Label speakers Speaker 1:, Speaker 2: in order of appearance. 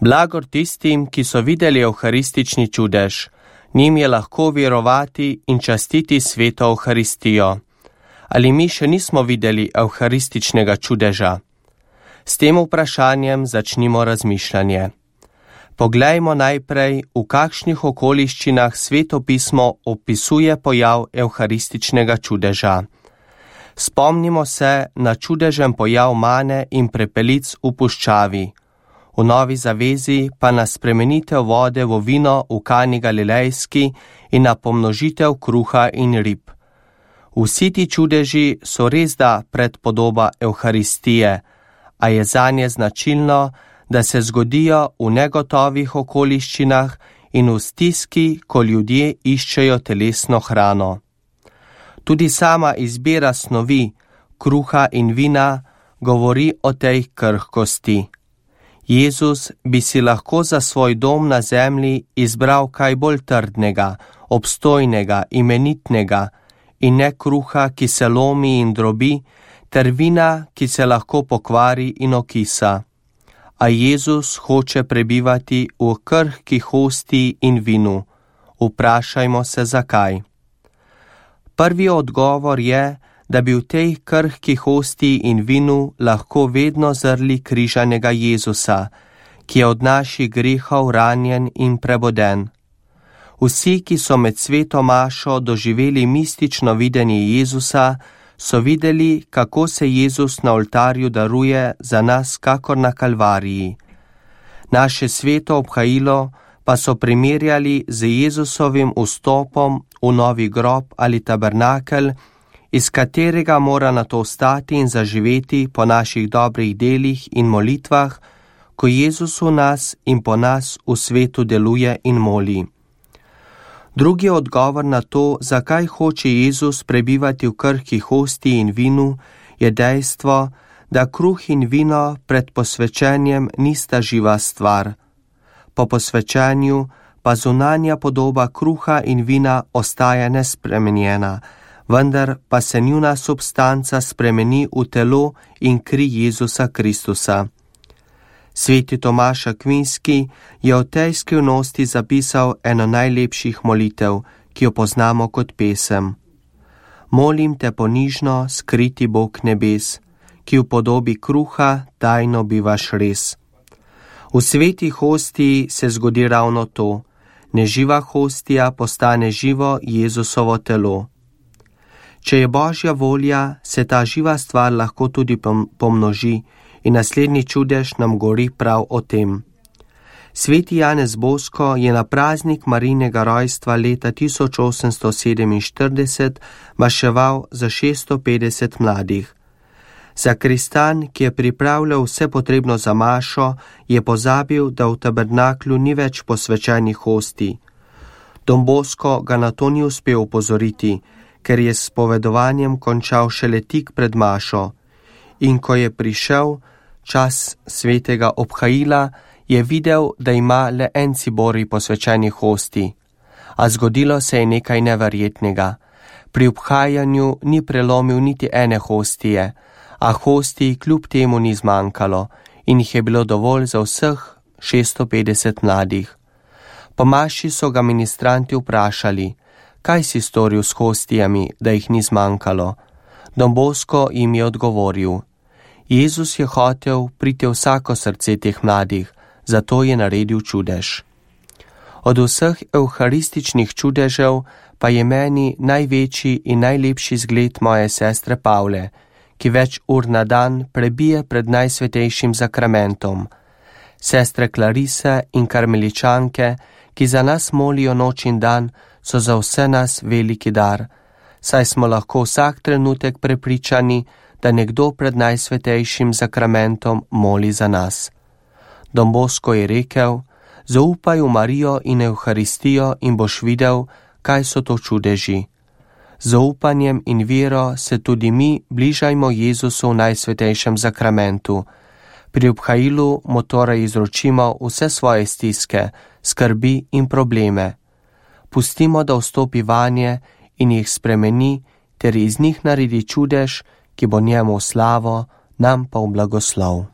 Speaker 1: Blagor tistim, ki so videli evharistični čudež. Njim je lahko verovati in častiti sveto Evharistijo. Ali mi še nismo videli evharističnega čudeža? S tem vprašanjem začnimo razmišljanje. Poglejmo najprej, v kakšnih okoliščinah Sveto pismo opisuje pojav evharističnega čudeža. Spomnimo se na čudežen pojav mane in prepelic v puščavi. V Novi zavezi pa na spremenitev vode v vino v Kani Galilejski in na pomnožitev kruha in rib. Vsi ti čudeži so resda predpodoba Evharistije, a je zanje značilno, da se zgodijo v negotovih okoliščinah in v stiski, ko ljudje iščejo telesno hrano. Tudi sama izbira snovi, kruha in vina, govori o tej krhkosti. Jezus bi si lahko za svoj dom na zemlji izbral kaj bolj trdnega, obstojnega, imenitnega in ne kruha, ki se lomi in drobi, ter vina, ki se lahko pokvari in okisa. A Jezus hoče prebivati v krhki hostiji in vinu. Vprašajmo se, zakaj. Prvi odgovor je, da bi v tej krhki hostiji in vinu lahko vedno zrli križanega Jezusa, ki je od naših grehov ranjen in preboden. Vsi, ki so med sveto mašo doživeli mistično videnje Jezusa, so videli, kako se Jezus na oltarju daruje za nas kakor na Kalvariji. Naše sveto obhajilo pa so primerjali z Jezusovim vstopom v novi grob ali tabernakel, iz katerega mora nato vstati in zaživeti po naših dobrih delih in molitvah, ko Jezus v nas in po nas v svetu deluje in moli. Drugi odgovor na to, zakaj hoče Jezus prebivati v krhki hostiji in vinu, je dejstvo, da kruh in vino pred posvečenjem nista živa stvar. Po posvečenju pa zunanja podoba kruha in vina ostaja nespremenjena, vendar pa se njuna substanca spremeni v telo in kri Jezusa Kristusa. Sveti Tomaž Akvinski je o tej skrivnosti zapisal eno najlepših molitev, ki jo poznamo kot pesem. Molim te ponižno, skriti Bog nebes, ki v podobi kruha tajno bivaš res. V sveti hostiji se zgodi ravno to, neživa hostija postane živo Jezusovo telo. Če je Božja volja, se ta živa stvar lahko tudi pomnoži in naslednji čudež nam govori prav o tem. Sveti Janez Bosko je na praznik Marijinega rojstva leta 1847 maševal za 650 mladih. Zakristan, ki je pripravljal vse potrebno za mašo, je pozabil, da v tabernaklju ni več posvečenih hostij. Don Bosko ga na to ni uspel opozoriti, ker je s povedovanjem končal šele tik pred mašo. In ko je prišel čas svetega obhajila, je videl, da ima le en cibori posvečenih hostij. A zgodilo se je nekaj neverjetnega. Pri obhajanju ni prelomil niti ene hostije, a hostij kljub temu ni zmanjkalo in jih je bilo dovolj za vseh 650 mladih. Po maši so ga ministranti vprašali, kaj si storil s hostijami, da jih ni zmanjkalo. Don Bosko jim je odgovoril, Jezus je hotel priti v vsako srce teh mladih, zato je naredil čudež. Od vseh evharističnih čudežev pa je meni največji in najlepši zgled moje sestre Pavle, ki več ur na dan prebije pred najsvetejšim zakramentom. Sestre Klarise in karmeličanke, ki za nas molijo noč in dan, so za vse nas veliki dar, saj smo lahko vsak trenutek prepričani, da nekdo pred najsvetejšim zakramentom moli za nas. Don Bosko je rekel, zaupaj v Marijo in Evharistijo in boš videl, kaj so to čudeži. Z zaupanjem in vero se tudi mi bližajmo Jezusu v najsvetejšem zakramentu. Pri obhajilu mu torej izročimo vse svoje stiske, skrbi in probleme. Pustimo, da vstopi vanje in jih spremeni, ter iz njih naredi čudež, ki bo njemu v slavo, nam pa v blagoslov.